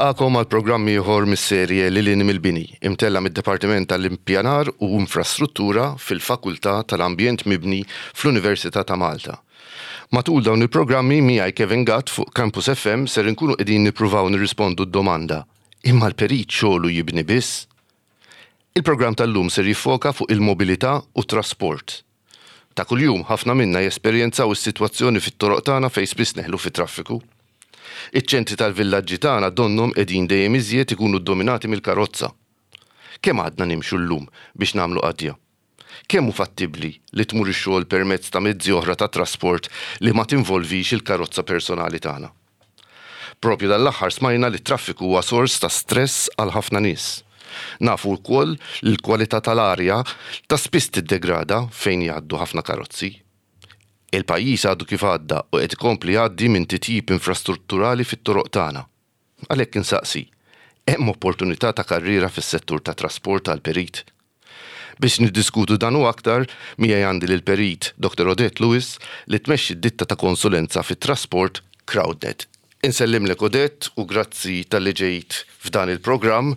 Nilqagħkom għal programm ieħor mis-serje Lil Hinn mill-Bini, imtella' mid-Dipartiment tal-Ippjanar u Infrastruttura fil-Fakultà tal-Ambjent Mibni fl-Università ta' Malta. Matul dawn il-programmi miegħi Kevin Gatt fuq Campus FM ser inkunu qegħdin nippruvaw nirrispondu d-domanda, Imma l-perit xogħlu jibni biss? Il-programm tal-lum ser jiffoka fuq il-mobilità u t-trasport. Ta' kuljum, ħafna minna jesperjenzaw is-sitwazzjoni fit-toroq tagħna fejn spiss neħlu fit-traffiku. Iċ-ċentri tal-villaġġi tagħna donnhom qegħdin dejjem iżjed ikunu ddominati mill-karozza. Kemm għadna nimxu llum biex nagħmlu qadja? Kemm hu fattibbli li tmur ix-xogħol permezz ta' mezzi oħra ta' trasport li ma tinvolvix il-karozza personali tagħna? Proprju dan l-aħħar smajna li t-traffiku huwa sors ta' stress għal ħafna nies. Nafu wkoll li l-kwalità tal-arja ta' spiss tiddegrada fejn jgħaddu ħafna karozzi. Il-pajjiż għadu kif għadda u qed ikompli jgħaddi minn titjib infrastrutturali fit-toroq tagħna. Għalhekk insaqsi, hemm opportunità ta' karriera fis-settur tat-trasport għal perit? Biex niddiskutu dan u aktar, miegħi għandi lill-Perit Dr. Odette Lewis li tmexxi d-ditta ta' konsulenza fit-trasport Crowdnet. Insellimlek Odette u grazzi talli ġejt f'dan il-programm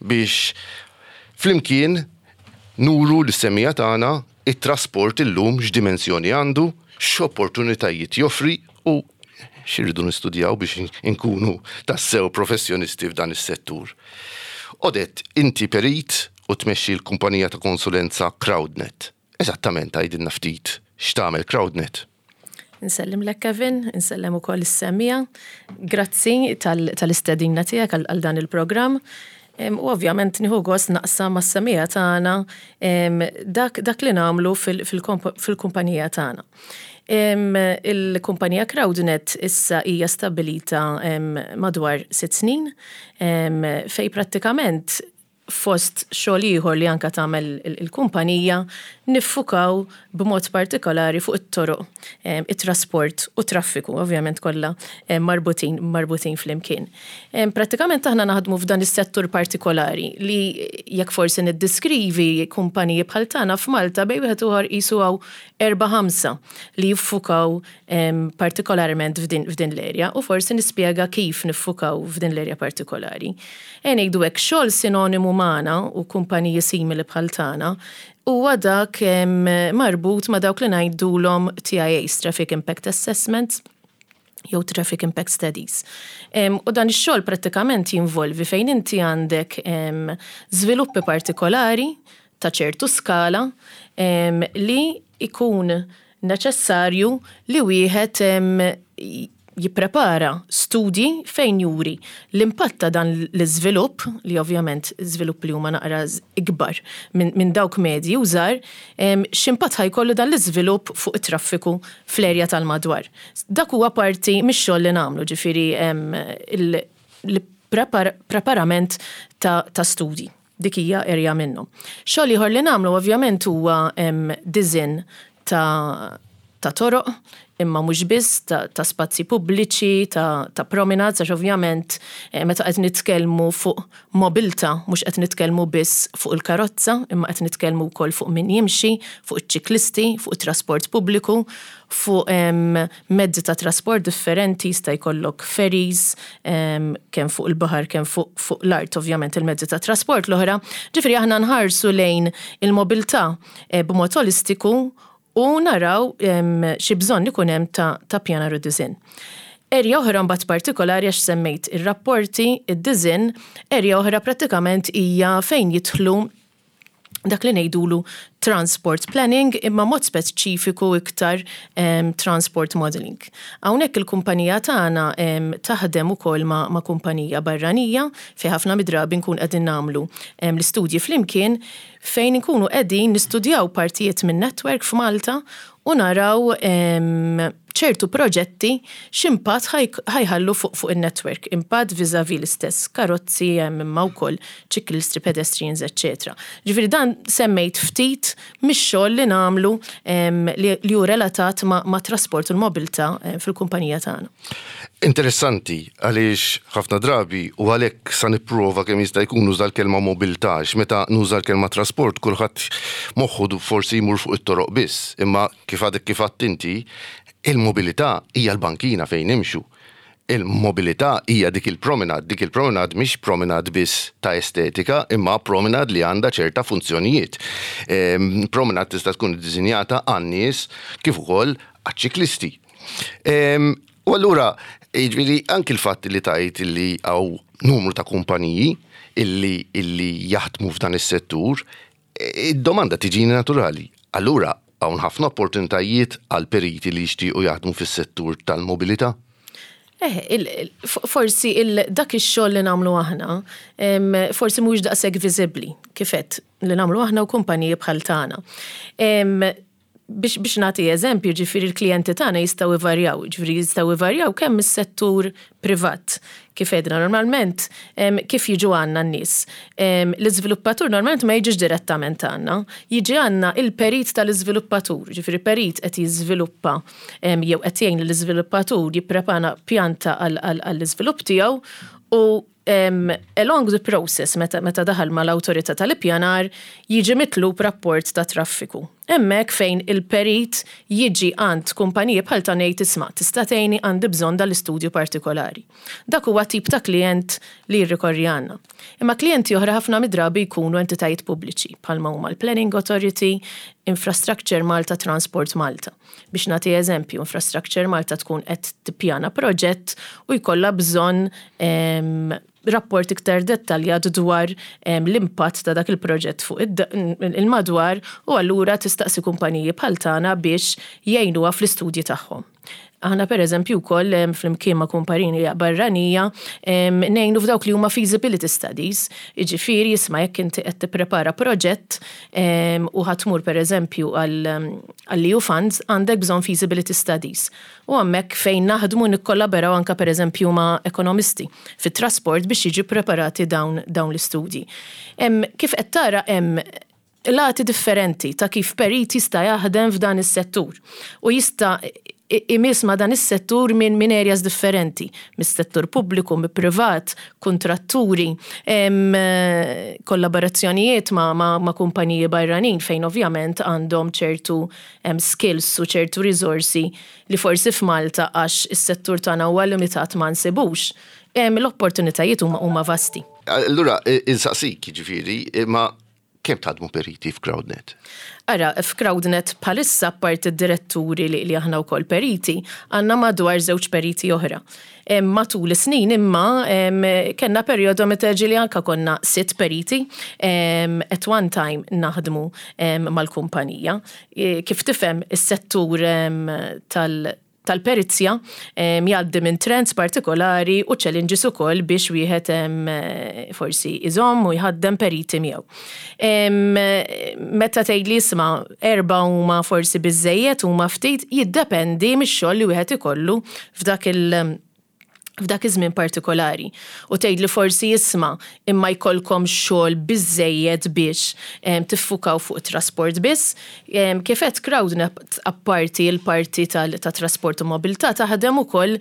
biex flimkien nuru lis-semmiegħa tagħna it-trasport illum x'dimensjoni għandu, x'opportunitajiet joffri u x'irridu nistudjaw biex inkunu tassew professjonisti f'dan is-settur. Odette, inti perit u tmexxi l-kumpanija ta' konsulenza Crowdnet. Eżattament għidilna ftit x'tagħmel Crowdnet. Insellimlek Kevin, insellem ukoll is-semmiegħa. Grazzi tal-istedina tiegħek għal dan il-programm. U ovvjament nieħu gost naqsam mas-semmiegħa tagħna dak, dak li nagħmlu fil-kumpanija tagħna. Il-kumpanija Crowdnet issa hija stabbilita madwar 6 snin fejn prattikament fost xogħol ieħor li anka tagħmel il-kumpanija niffukaw b'mod partikolari fuq it-toroq, it-trasport u traffiku, ovvjament kollha marbutin marbutin flimkien. Prattikament aħna naħdmu f'dan is-settur partikolari li jekk forsi niddiskrivi kumpaniji bħal tagħna f'Malta bejn wieħed u ieħor qisu hawn 4-5 li jiffukaw partikolarment f'din l-erja u forsi nispjega kif niffukaw f'din l-erja partikolari. Ejja ngħidu hekk, xogħol sinonimu magħna u kumpaniji simili bħal tagħna huwa dak marbut ma' dawk li ngħidulhom TIAs, Traffic Impact Assessments, jew Traffic Impact Studies. U dan ix-xogħol prattikament jinvolvi fejn inti għandek żviluppi partikolari ta' ċertu skala li jkun neċessarju li wieħed jipprepara studji fejn juri l-impatt ta' dan l-iżvilupp, li ovvjament żviluppi li huma naqra ikbar minn dawk medji u żgħar, x'impatt ħa jkollu dan l-iżvilupp fuq it-traffiku fl-erja tal-madwar. Dak huwa parti mix-xogħol li nagħmlu, ġifieri l-preparament ta' studji. Dik hija erja minnhom. Xogħol ieħor li nagħmlu ovvjament huwa disinn ta' ta' toroq, imma mhux biss, ta', ta spazji pubbliċi, ta', ta' promenades, għax ovvjament meta qed nitkellmu fuq mobilità mhux qed nitkellmu biss fuq il-karozza, imma qed nitkellmu wkoll fuq min jimxi, fuq iċ-ċiklisti, fuq it-trasport pubbliku, fuq mezzi ta' trasport differenti, jista' jkollok ferries, kemm fuq il-baħar kemm fuq, fuq l-art ovvjament il-mezzi ta' trasport l-oħra. Ġifieri aħna nħarsu lejn il-mobilità b'mod olistiku u naraw xi bżonn ikun hemm ta', ta' pjanar u disinn. Erja oħra mbagħad partikolari għax semmejt ir-rapporti, id-disinn, erja oħra prattikament hija fejn jidħlu dak li ngħidulu transport planning imma mod speċifiku iktar transport modeling. Hawnhekk il-kumpanija tagħna taħdem ukoll ma', ma' kumpanija barranija fejn ħafna mid-drabi nkun qegħdin nagħmlu l-istudji flimkien fejn inkunu qegħdin nistudjaw partijiet minn network f'Malta u naraw ċertu proġetti x'impatt ħa jħallu fuq in-network, impatt vis-à-vis l-istess karozzi imma wkoll ċiklisti, pedestrians, eċċetera. Ġifieri dan semmejt ftit mix-xogħol li nagħmlu li hu relatat mat-trasport u l-mobilità fil-kumpanija tagħna. Interessanti għaliex ħafna drabi u għalhekk sa nipprova kemm jista' jkun nuża l-kelma mobilità għax meta nuża l-kelma trasport kulħadd moħħu forsi jmur fuq it-toroq biss, imma kif għadek kif għedt inti, il-mobilità hija l-bankina fejn nimxu. Il-mobilità hija dik il-promenade, dik il-promenade mhix promenade biss ta' estetika imma promenade li għandha ċerta funzjonijiet. Promenade tista' tkun iddisinjata għan-nies kif ukoll għaċ-ċiklisti. U allura, jiġifieri anki l-fatt li tgħid li hawn numru ta' kumpaniji illi illi jaħdmu f'dan is-settur, id-domanda tiġini naturali. Allura hawn ħafna opportunitajiet għal periti li jixtiequ jaħdmu fis-settur tal-mobilità? Eh, forsi dak ix-xogħol li nagħmlu aħna, forsi mhuwiex daqshekk viżibbli kif għedt li nagħmlu aħna u kumpaniji bħal tagħna. Biex biex nagħti eżempju, ġifieri l-klijenti tagħna jistgħu jvarjaw, ġifieri jistgħu jvarjaw kemm mis-settur privat, kif għedna normalment kif jiġu għandna n-nies. L-iżviluppatur normalment ma jiġix direttament għandna, jiġi għandna il-perit tal-iżviluppatur, ġifieri perit qed jiżviluppa jew qed jgħin lill-iżviluppatur jipprepara pjanta għall-iżvilupp tiegħu u along the process meta, meta daħal mal-awtorità tal-ippjanar jiġi mitlub rapport ta' traffiku. Hemmhekk fejn il-perit jiġi għand kumpaniji bħal tagħna jgħid isma' tista' tgħinni għandi bżonn dal-istudju partikolari. Dak huwa tip ta' klijent li jirrikorri għandna. Imma klijenti oħra ħafna mid-drabi jkunu entitajiet pubbliċi bħalma huma l-Planning Authority, Infrastructure Malta, Transport Malta. Biex nagħti eżempju, Infrastructure Malta tkun qed tippjana proġett u jkollha bżonn rapport iktar dettaljat dwar l-impatt ta' dak il-proġett fuq il-madwar u allura tistaqsi kumpaniji bħal tagħna biex jgħinuha fl-istudji tagħhom. Aħna pereżempju wkoll flimkien ma' kumpanija barranija ngħinu f'dawk li huma feasibility studies, jiġifieri isma' jekk inti qed tipprepara proġett u ħa tmur pereżempju għall-EU funds għandek bżonn feasibility studies. U hemmhekk fejn naħdmu nikkollaboraw anke pereżempju ma' ekonomisti fit-trasport biex jiġu ppreparati dawn l-istudji. Kif qed tara hemm lati differenti ta' kif perit jista' jaħdem f'dan is-settur u jista' imiss ma' dan is-settur minn min areas differenti, mis-settur pubbliku, mi-privat, kuntratturi, kollaborazzjonijiet ma', ma, ma kumpaniji barranin fejn ovvjament għandhom ċertu skills u ċertu risorsi li forsi f'Malta għax is-settur tagħna huwa limitat ma nsibux. L-opportunitajiet huma huma vasti. Allura, insaqsik, jiġifieri, ma kemm taħdmu periti f'CrowdNet? Ara, f'CrowdNet bħalissa apparti d-diretturi li, li aħna wkoll periti, għandna madwar żewġ periti oħra. Matul is-snin imma kellna perjodu meta ġieli anka konna sitt periti at one time naħdmu mal-kumpanija. Kif tifhem is-settur tal- tal-perizja jgħaddi minn trends partikolari u challenges ukoll biex wieħed forsi iżomm u jħaddem periti miegħu. Meta tgħidli isma' erbgħa huma forsi biżżejjed huma ftit, jiddependi mix-xogħol li wieħed ikollu f'dak il- f'dak iż-żmien partikolari. U tgħidli forsi isma' imma jkollkom xogħol biżżejjed biex tiffukaw fuq it-trasport biss. Kif għedt CrowdNet apparti l-parti ta' trasport u mobilità taħdem ukoll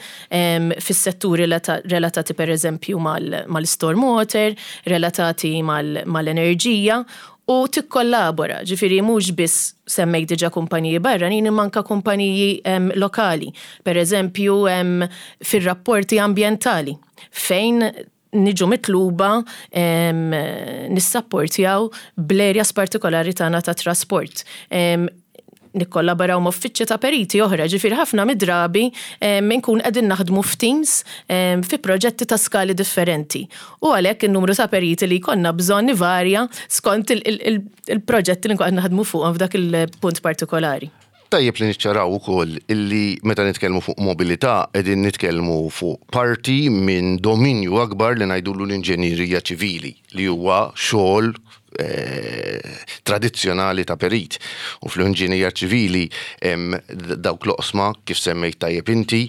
fis-setturi relatati pereżempju mal-stormwater, relatati mal-enerġija u tikkollabora, ġifieri mhux biss semmejt diġà kumpaniji barranin imma anke kumpaniji lokali, pereżempju fir-rapporti ambjentali fejn niġu mitluba nissapportjaw bl-areas partikolari tagħna ta' trasport. Nikkollaboraw ma' uffiċċji ta' periti oħra, ġifieri ħafna mid-drabi nkun qegħdin naħdmu f'teams fi proġetti ta' skali differenti. U għalhekk in-numru ta' periti li jkollna bżonn ivarja skont il-proġetti li nkun qed naħdmu fuqhom f'dak il-punt partikolari. Tajjeb li niċċaraw ukoll illi meta nitkellmu fuq mobilità qegħdin nitkellmu fuq parti minn dominju akbar li ngħidulu l-inġenjerija ċivili li huwa xogħol tradizzjonali ta' perit. U fl-inġinija ċivili hemm dawk l-oqsma kif semmejt tajjeb inti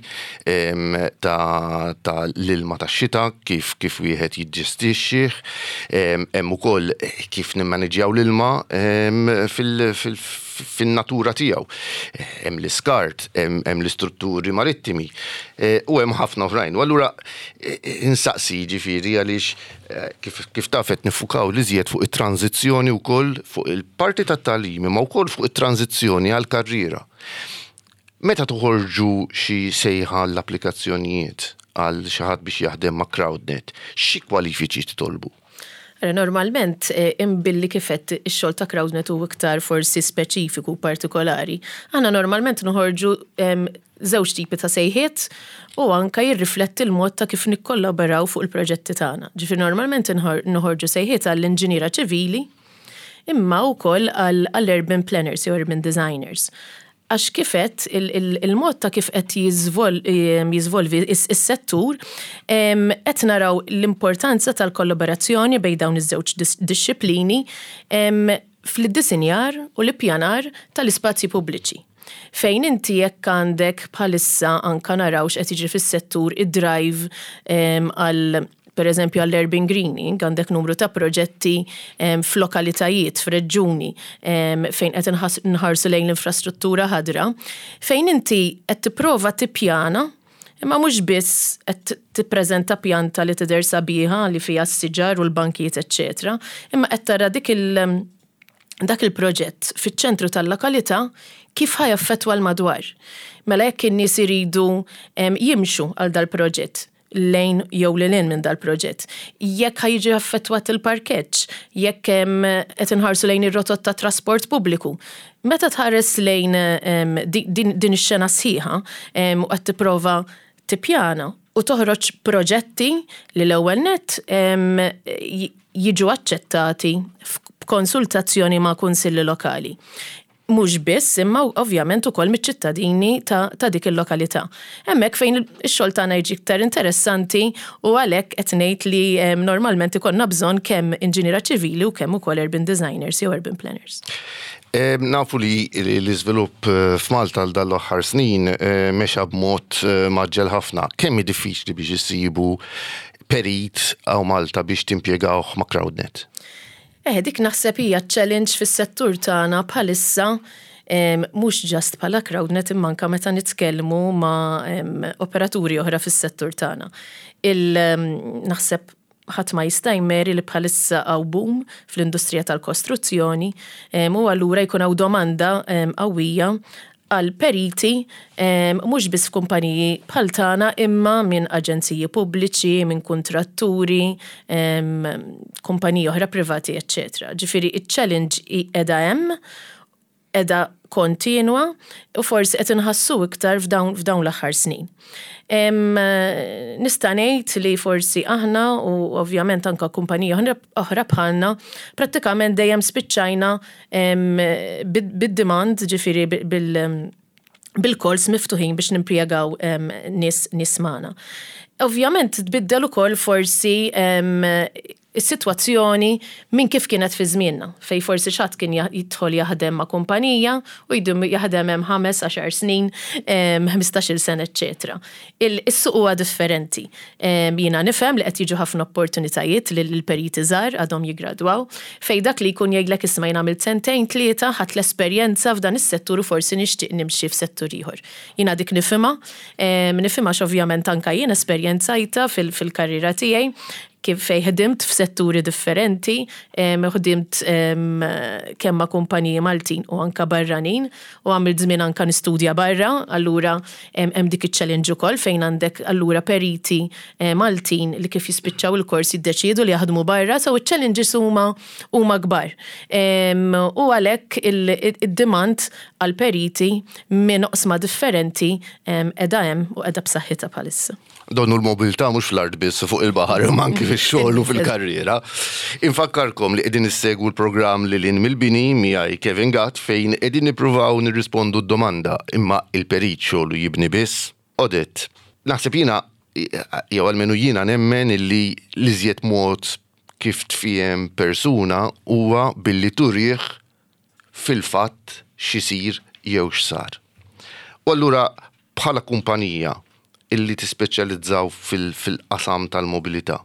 ta' l-ilma tax-xita kif kif wieħed jiġġestixxih, hemm ukoll kif nimmaniġjaw l-ilma fin-natura tiegħu. Hemm l-iskart, hemm l-istrutturi marittimi u hemm ħafna oħrajn. U allura insaqsi jiġifieri għaliex Kif taf qed niffukaw l-iżjed fuq it-tranżizzjoni wkoll fuq il-parti tat-tagħlim imma wkoll fuq it-tranżizzjoni għall-karriera. Meta toħorġu xi sejħa għall-applikazzjonijiet, għal xi ħadd biex jaħdem ma' CrowdNet, xi kwalifiċi titolbu? Normalment, imbilli kif għedt ix-xogħol ta' CrowdNet hu iktar forsi speċifiku u partikolari, aħna normalment noħorġu żewġ tipi ta' sejħiet u anka jirrifletti l-mod ta' kif nikkollaboraw fuq il-proġetti tagħna. Ġifieri normalment noħorġu sejħiet għall-inġiniera ċivili imma wkoll għall-urban planners jew urban designers. Għax kif għedt, il-mod ta' kif qed jiżvolvi s-settur, qed naraw l-importanza tal-kollaborazzjoni bejn dawn iż-żewġ dixxiplini fl-iddisinjar u l-ippjanar tal-ispazji pubbliċi. Fejn inti jekk għandek bħalissa anka naraw x'qed jiġri fis-settur id-drive għal per eżempju għall-urban greening, għandek numru ta' proġetti f'lokalitajiet, f'reġġuni fejn qed nħarsu lejn l-infrastruttura ħadra, fejn inti qed tipprova tippjana imma mhux biss qed tippreżenta pjanta li tidher sabiħa li fiha s-siġar u l-bankijiet eċċetera, imma qed tara dik il- dak il-proġett fiċ-ċentru tal-lokalità kif ħa jaffettwa l-madwar. Mela jekk in-nies iridu jimxu għal dal-proġett, lejn jew lil hinn minn dal-proġett. Jekk ħa jiġi affettwat il-parkeġġ, jekk qed inħarsu lejn ir-rotot ta' trasport pubbliku. Meta tħares lejn din ix-xena sħiħa u qed tipprova tippjana u toħroġ proġetti li l-ewwel nett jiġu aċċettati b'konsultazzjoni ma' kunsilli lokali. Mhux biss, imma ovvjament ukoll miċ-ċittadini ta' ta' dik il-lokalità. Hemmhekk fejn ix-xogħol tagħna jiġi iktar interessanti u għalhekk qed ngħid li normalment ikollna bżonn kemm inġiniera ċivili u kemm ukoll urban designers jew urban planners. Nafu li l-iżvilupp f'Malta għal dan l-aħħar snin mexa b'mod mgħaġġel ħafna. Kemm hi diffiċli biex issibu perit hawn Malta biex timpjegawh ma' CrowdNet? Eh, dik naħseb hija challenge fis-settur tagħna bħalissa mhux just bħala CrowdNet imma anke meta nitkellmu ma' operaturi oħra fis-settur tagħna. Il naħseb ħadd ma jista' jmeri li bħalissa hawn boom fl-industrija tal-kostruzzjoni u allura jkun hawn domanda qawwija għal periti mhux biss f'kumpaniji bħal tagħna imma minn aġenziji pubbliċi, minn kuntratturi, kumpaniji oħra privati, eċċetera. Ġifieri iċ-challenge qiegħda hemm, qiegħda kontinwa u forsi qed inħassu iktar f'dawn f'dawn l-aħħar snin. Nista' ngħid li forsi aħna u ovvjament anke kumpaniji oħra bħalna prattikament dejjem spiċċajna bid-demand, ġifieri bil-calls miftuħin biex nimpjegaw nies nies magħna. Ovvjament tbiddel ukoll forsi is-sitwazzjoni minn kif kienet fi żmienna, fejn forsi xi ħadd kien jidħol jaħdem ma' kumpanija u jdum jaħdem hemm ħames, għaxar snin, 15-il sena, eċċetera. Is-suq huwa differenti. Jiena nifhem li qed jiġu ħafna opportunitajiet lil periti żgħar għadhom jiggradwaw, fejn dak li jkun jgħidlek isma' jien għamilt sentejn, tlieta, ħadt l-esperjenza f'dan is-settur u forsi nixtieq nimxi f'settur ieħor. Jiena dik nifhimha, nifhimha għax ovvjament anke jien esperjenzajtha fil-karriera tiegħi kif fejn ħdimt f'setturi differenti, ħdimt kemm ma' kumpaniji Maltin u anke barranin u għamilt żmien anke nistudja barra, allura hemm dik iċ-challenge ukoll fejn għandek allura periti Maltin li kif jispiċċaw il-kors jiddeċiedu li jaħdmu barra, so iċ-challenges huma huma kbar. U għalhekk id-demand għal periti minn oqsma differenti qiegħda hemm u qiegħda b'saħħitha bħalissa. Donnu l-mobilità mhux fl-art biss fuq il-baħar imma anki fix-xogħol u fil-karriera. Infakkarkom li qegħdin issegwu l-programm Lil Hinn mill-Bini miegħi Kevin Gatt fejn qegħdin nippruvaw nirrispondu d-domanda imma il-perit xogħlu jibni biss? Odette, naħseb jiena jew almenu jiena nemmen illi l-iżjed mod kif tfiehem persuna huwa billi turih fil-fatt x'isir jew x'sar. U allura bħala kumpanija illi tispeċjalizzaw fil-qasam tal-mobilità,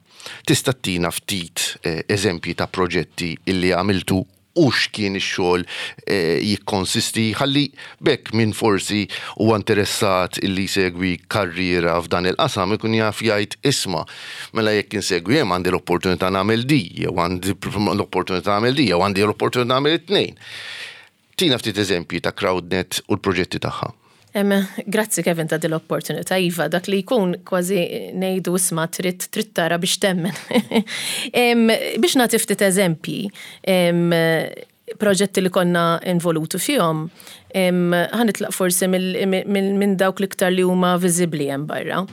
tista' ttina ftit eżempji ta' proġetti illi għamiltu u x'kien ix-xogħol jikkonsisti ħalli b'hekk min forsi huwa interessat illi jsegwi karriera f'dan il-qasam ikun jaf jgħid isma' mela jekk insegwi hemm għandi l-opportunità nagħmel di jew għandi l-opportunità nagħmel di jew għandi l-opportunità nagħmel it-tnejn. Tina ftit eżempji ta' CrowdNet u l-proġetti tagħha. Grazzi, Kevin, ta' din l-opportunità. Iva, dak li jkun kważi ngħidu, isma', trid tara biex temmen. Biex nagħti ftit eżempji, proġetti li konna involuti fihom, ħa nitlaq forsi minn dawk l-iktar li huma viżibbli hemm barra.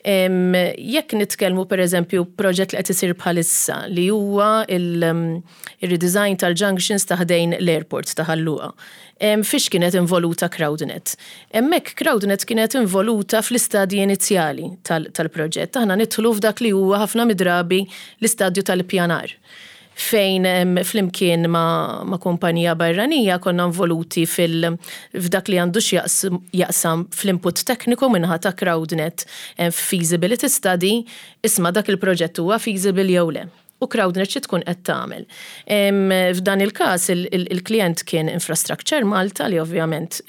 Jekk nitkellmu, per eżempju, proġett li qed isir bħalissa li huwa il-redesign tal-junctions ta' ħdejn l-airport ta' Ħal Luqa. Fiex kienet involuta CrowdNet? Hemmhekk CrowdNet kienet involuta fl-istadji inizjali tal-proġett. Aħna nidħlu f'dak li huwa ħafna midrabi l-istadju tal-ippjanar, fejn flimkien ma' kumpanija barranija konna involuti f'dak li għandu x'jaqsam fl-input tekniku min-naħa ta' CrowdNet, feasibility study, isma', dak il-proġett huwa feasible jew le. U CrowdNet xi tkun qed tagħmel? F'dan il-każ il-klient kien Infrastructure Malta, li ovvjament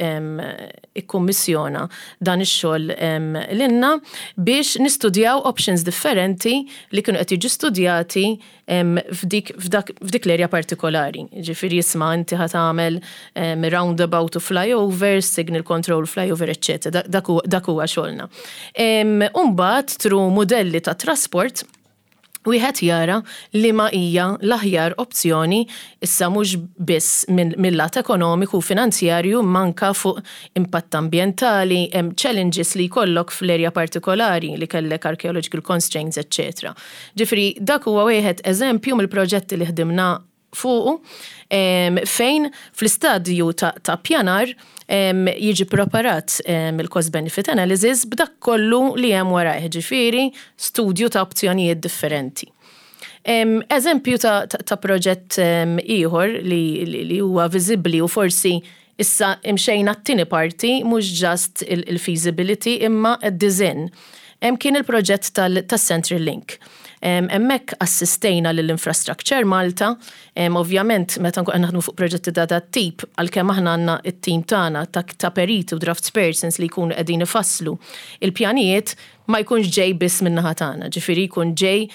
ikkummissjona dan ix-xogħol lilna biex nistudjaw options differenti li kienu qed jiġu studjati f'dik l-area partikolari. Ġifieri, isma', inti ħa tagħmel roundabout u flyovers, signal control flyover, eccetera. Dak huwa xogħolna. Umbagħad through modelli ta' trasport wieħed jara li ma hija l-aħjar opzjoni, issa mhux biss mill-lat ekonomiku u finanzjarju, manka fuq impatt ambjentali, hemm challenges li jkollok fl-erja partikolari li kellek archaeological constraints, etc. Ġifieri dak huwa wieħed eżempju mill-proġetti li ħdimna fuqu, fejn fl-istadju ta' pjanar jiġi preparat il-cost benefit analysis b'dak kollu li hemm warajh, ġifieri studju ta' opzjonijiet differenti. Eżempju ta' proġett ieħor li huwa viżibbli u forsi issa imxejna t-tieni parti, mhux just il-feasibility imma d-design, kien il-proġett tal-Central Link. Hemmhekk assistejna lill-Infrastructure Malta, ovvjament meta nkun naħdmu fuq proġetti ta' dat tip, għalkemm aħna għandna it-tim tagħna ta' periti u draftspersons li jkunu qegħdin ifasslu il-pjanijiet, ma jkunx ġej biss min-naħa tagħna, ġifieri jkun ġej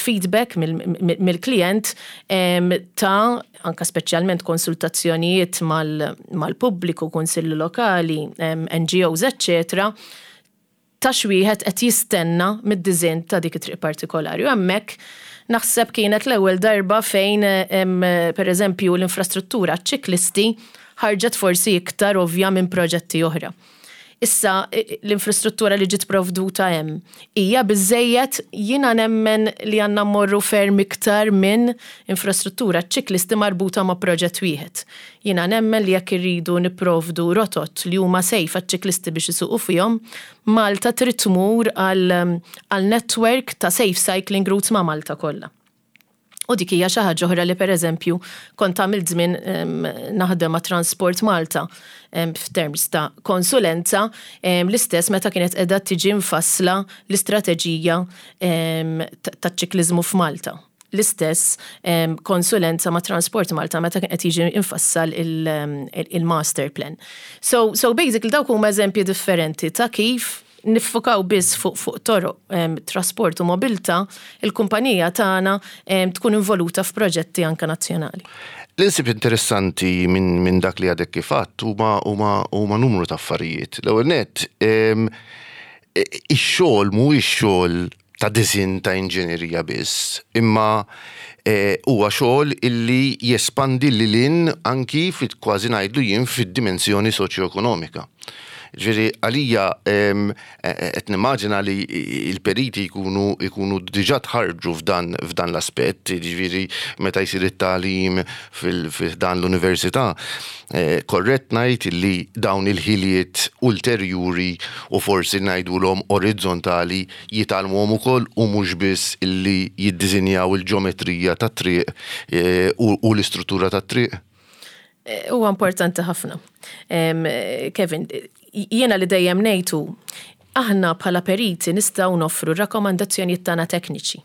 feedback mill-klient ta' anka speċjalment konsultazzjonijiet mal-pubbliku, kunsilli lokali, NGOs, eccetera, ta' x'wieħed qed jistenna mid-design ta' dik it-triq partikolari. U hemmhekk naħseb kienet l-ewwel darba fejn, per eżempju, l-infrastruttura ċiklisti ħarġet forsi iktar ovvja minn proġetti oħra. Issa, l-infrastruttura li ġiet provduta hemm hija biżejjed? Jiena nemmen li għandna mmorru ferm iktar minn infrastruttura ċiklisti marbuta ma' proġett wieħed. Jiena nemmen li jekk irridu nipprovdu rotot li huma safe għaċ-ċiklisti biex isuqu fihom, Malta trid tmur għal network ta' safe cycling routes ma' Malta kollha. U dik hija xi ħaġa oħra li, pereżempju, kont għamilt żmien naħdem ma' Transport Malta f'terms ta' konsulenza, l-istess meta kienet qiegħda tiġi mfassla l-istrateġija taċ-ċikliżmu f'Malta. L-istess konsulenza ma' Transport Malta meta kien qed jiġi infassal il-master plan. So basically dawk huma eżempji differenti ta' kif niffukaw biss fuq toroq, trasport u mobilità, il-kumpanija tagħna tkun involuta f'proġetti anka nazzjonali. L-insib interessanti minn dak li għadek kif għedt huma numru ta' affarijiet. L-ewwel net, ix-xogħol mhuwiex xogħol ta' design ta' inġinerija biss, imma huwa xogħol illi jespandi lil hinn anki fit kważi ngħidlu jien fid-dimensjoni soċjoekonomika. Ġifieri għalija qed nimmaġina li il-periti jkunu diġà tħarġu f'dan l-aspett, ġifieri meta jsir it-tagħlim fil-dan l-università, korrett ngħid li dawn il-ħiliet ulterjuri u forsi ngħidulhom orizzontali jitgħallmuhom ukoll u mhux biss illi jiddisinjaw il-ġeometrija tat-triq u l-istruttura tat-triq? Huwa importanti ħafna. Kevin, jiena li dejjem ngħidu, aħna bħala periti nistgħu noffru rakkomandazzjonijiet tagħna tekniċi.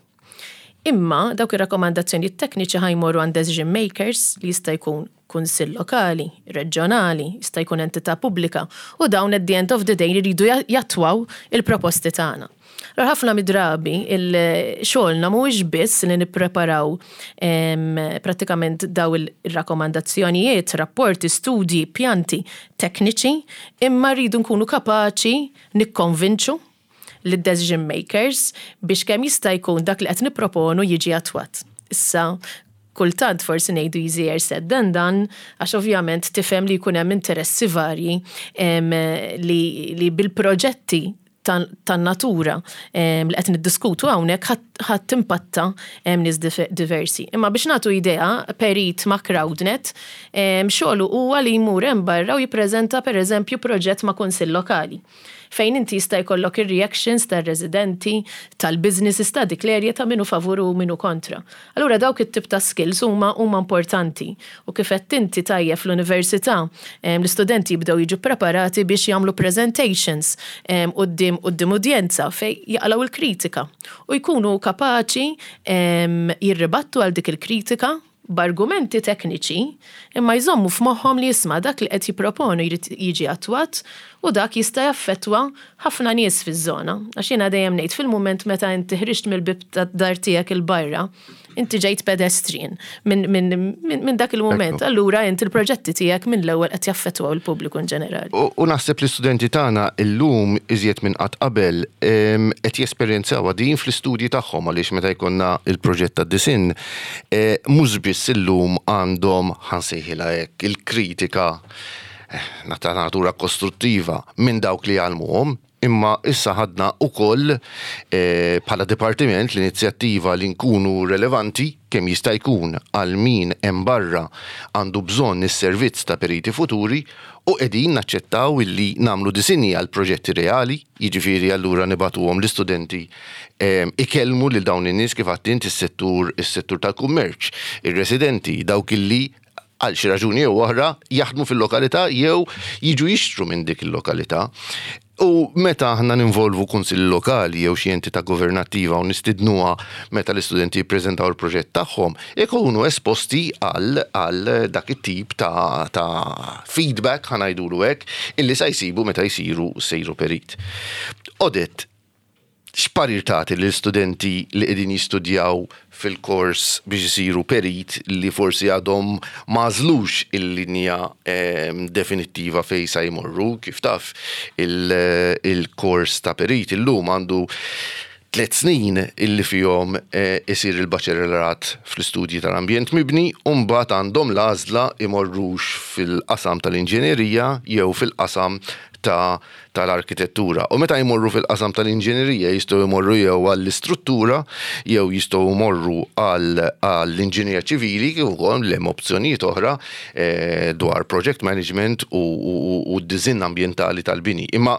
Imma dawk ir-rakkomandazzjonijiet tekniċi ħa jmorru għand decision makers li jista' jkun kunsill lokali, reġjonali, jista' jkun entità pubblika, u dawn at the end of the day jridu jattwaw il-proposti tagħna. Allura ħafna mid-drabi xogħolna mhuwiex biss li nippreparaw prattikament daw ir-rakkomandazzjonijiet, rapporti, studji, pjanti tekniċi, imma rridu nkunu kapaċi nikkonvinċu lid-decision makers biex kemm jista' jkun dak li qed nipproponu jiġi attwat. Issa, kultant forsi ngħidu easier said than done, għax ovvjament tifhem li jkun hemm interessi varji li bil-proġetti tan-natura li qed niddiskutu hawnhekk ħa timpatta nies diversi. Imma biex nagħtu idea, perit ma' Crowdnet xogħlu huwa li jmur hemm barra u jippreżenta pereżempju proġett ma' kunsill lokali, fejn inti jista' jkollok ir-reactions tar-residenti, tal-businesses ta' dik l-area, ta' min hu favur u min hu kontra. Allura dawk it-tip ta' skills huma importanti u kif għedt inti tajjeb, fl-università l-istudenti jibdew jiġu preparati biex jagħmlu presentations quddiem udjenza fejn jaqilgħu il-kritika u jkunu kapaċi jirribattu għal dik il-kritika b'argumenti tekniċi, imma jżommu f'moħħhom li jisma' dak li qed jipproponu jrid jiġi attwat u dak jista' jaffettwa ħafna nies fiż-żona. Għax jiena dejjem ngħid, fil-mument meta inti ħriġt mill-bib tad-dar tiegħek 'il barra, inti ġejt pedestrian minn dak il-mument. Allura inti l-proġetti tiegħek minn l-ewwel qed jaffettwaw il-pubbliku in ġenerali. U naħseb li studenti tagħna illum iżjed minn qatt qabel qed jesperjenzawha din fl-istudji tagħhom, għaliex meta jkollna il-proġett tad-disinn, mhux biss illum għandhom, ħa nsejħilha hekk, il-kritika ta' natura kostruttiva minn dawk li jgħallmuhom, imma issa ħadna ukoll bħala dipartiment l-inizjattiva li nkunu relevanti kemm jista' jkun għal min hemm barra għandu bżonn is-servizz ta' periti futuri u qegħdin naċċettaw illi nagħmlu disinji għal proġetti reali, jiġifieri allura nibagħtuhom l-istudenti ikellmu lil dawn in-nies, kif għedt int, is-settur tal-kummerċ, ir-residenti, dawk illi għal xi raġuni jew oħra jaħdmu fil-lokalità jew jiġu jixtru minn dik il-lokalità. U meta aħna ninvolvu kunsilli lokali jew xi entità governattiva u nistidnuha meta l-istudenti jippreżentaw il-proġett tagħhom, ikunu esposti għal dak it-tip ta' feedback, ħa ngħidulu hekk, illi sa jsibu meta jsiru sejru perit. Odette, x'parir tagħti lill-istudenti li qegħdin jistudjaw fil-kors biex isiru perit li forsi għadhom m'għażlux il-linja definittiva fejn sa jmorru? Kif taf, il-kors ta' perit illum għandu 3 snin illi fihom isir il-baċellerat fl-istudji tal-ambjent mibni u mbagħad għandhom l-għażla imorrux fil-qasam tal-inġinerija jew fil-qasam ta' tal-arkitettura. U meta jmorru fil-qasam tal-inġinerija jistgħu jmorru jew għall-istruttura jew jistgħu jmorru għall-inġinerija ċivili, kif ukoll hemm opzjonijiet oħra dwar project management u d-disinn ambjentali tal-bini. Imma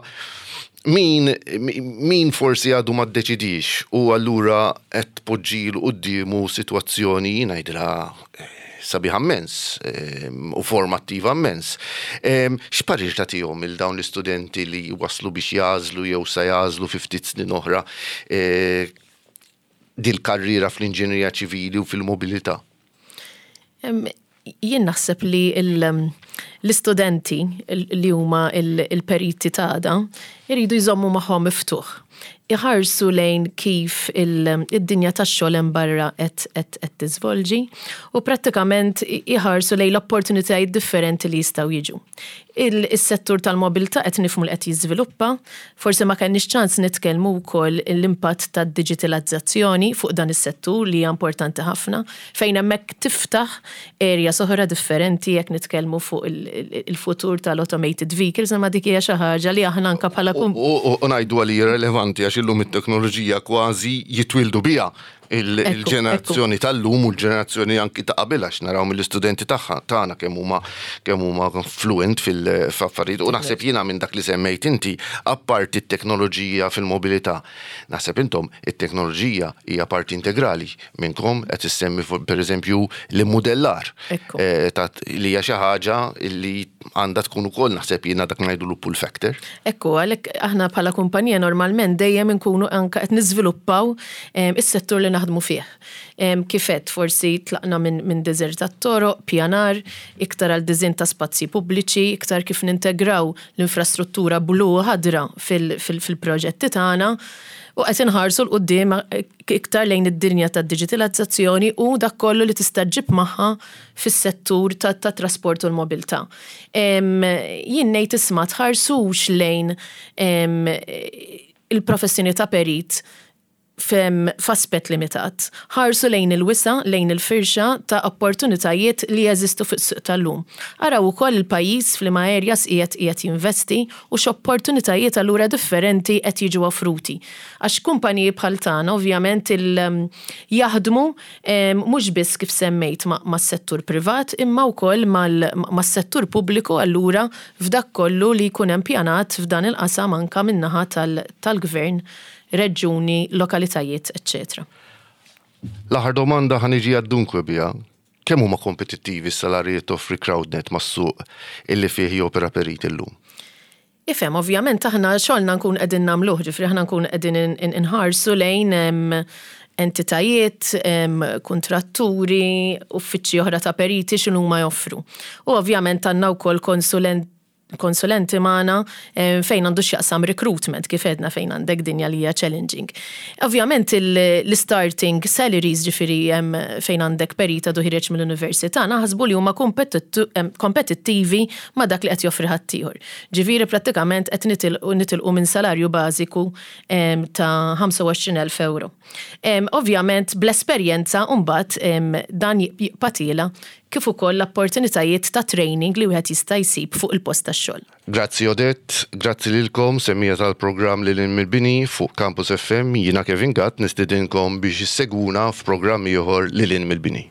min forsi għadu ma ddeċidix u allura qed tpoġġilu quddiemu sitwazzjoni, ngħidilha, sabiħa immens u formattiva immens. X'parir tagħtihom il dawn l-istudenti li waslu biex jagħżlu jew sa jagħżlu fi ftit snin oħra dil-karriera fl-inġinerija ċivili u fil-mobilità? Jien naħseb li l-istudenti li huma il-periti ta' għada jridu jżommu moħħhom miftuħ. Iħarsu lejn kif id-dinja tax-xogħol hemm barra qed tiżvolġi u prattikament iħarsu lejn l-opportunitajiet differenti li jistgħu jiġu. Is-settur tal-mobilità qed nifhmu li qed jiżviluppa, forsi ma kenniex ċans nitkellmu wkoll l-impatt tad-diġitalizzazzjoni fuq dan is-settur li hija importanti ħafna, fejn hemmhekk tiftaħ area oħra differenti jekk nitkellmu fuq il-futur tal-automated vehicles, imma dik hija xi ħaġa li aħna anke bħala U ngħidu għalli relevanti għax illum it-teknoloġija kważi jitwildu biha il-ġenerazzjoni tal-lum u l-ġenerazzjoni anki ta' qabel, għax naraw mill-istudenti tagħha tagħna kemm huma fluent fil-affarijiet. U naħseb jiena minn dak li semmejt inti, apparti t-teknoloġija fil-mobilità, naħseb intom it-teknoloġija hija parti integrali minnkom. Qed issemmi pereżempju l-immodellar li hija xi ħaġa li għandha tkun ukoll, naħseb jiena, dak ngħidu pull factor. Ekku, għalhekk aħna bħala kumpanija normalment dejjem inkunu anka qed niżviluppaw is-settur li naħdmu fih. Kif għedt, forsi tlaqna minn disinn tat-toroq, pjanar, iktar għal disinn ta' spazji pubbliċi, iktar kif nintegraw l-infrastruttura blu u ħadra fil-proġetti tagħna. U qed inħarsu 'l quddiem iktar lejn id-dinja tad-diġitilazzazzjoni u dak kollu li tista' ġġib magħha fis-settur tat-trasport u l-mobilità. Jien ngħid isma' tħarsux lejn il-professjoni ta' perit f'aspett limitat. Ħarsu lejn il-wisa', lejn il-firxa ta' opportunitajiet li jeżistu fis-suq tal-lum. Araw ukoll il-pajjiż f'liema areas qiegħed qiegħed jinvesti u x'opportunitajiet allura differenti qed jiġu offruti. Għax kumpaniji bħal tagħna ovvjament il jaħdmu mhux biss kif semmejt mas-settur privat imma wkoll mas-settur pubbliku allura f'dak kollu li jkun hemm pjanat f'dan il-qasam anke min-naħa tal-gvern reġjuni, lokalitajiet, eċċetera. L-aħħar domanda ħa niġi għad-dunque biha. Kemm huma kompetittivi s-salarji li toffri Crowdnet mas-suq illi fih jopera Perit illum? Ifhem, ovvjament aħna xogħolna nkun qegħdin nagħmluh, ġifieri aħna nkun qegħdin inħarsu lejn entitajiet, kuntratturi, uffiċċji oħra ta' periti x'inhuma joffru. U ovvjament għandna wkoll konsulent konsulenti magħna fejn għandu x'jaqsam recruitment kif għedna fejn għandek dinja li hija challenging. Ovvjament l-starting salaries ġifieri fejn għandek perit għadu ħireġ mill-università naħsbu li huma kompetittivi ma' dak li qed joffri ħaddieħor. Ġifieri prattikament qed nitilqu minn salarju bażiku ta' 25,000 euro. Ovvjament bl-esperjenza mbagħad dan jibqa' tiela' kif ukoll l-opportunitajiet ta' training li wieħed jista' jsib fuq il-post tax-xogħol. Grazzi Odette, grazzi lilkom semmiegħa tal-programm Lil Hinn Mill-Bini fuq Campus FM, jiena Kevin Gatt nistedinkom biex issegwuna f'programm ieħor Lil Hinn Mill-Bini.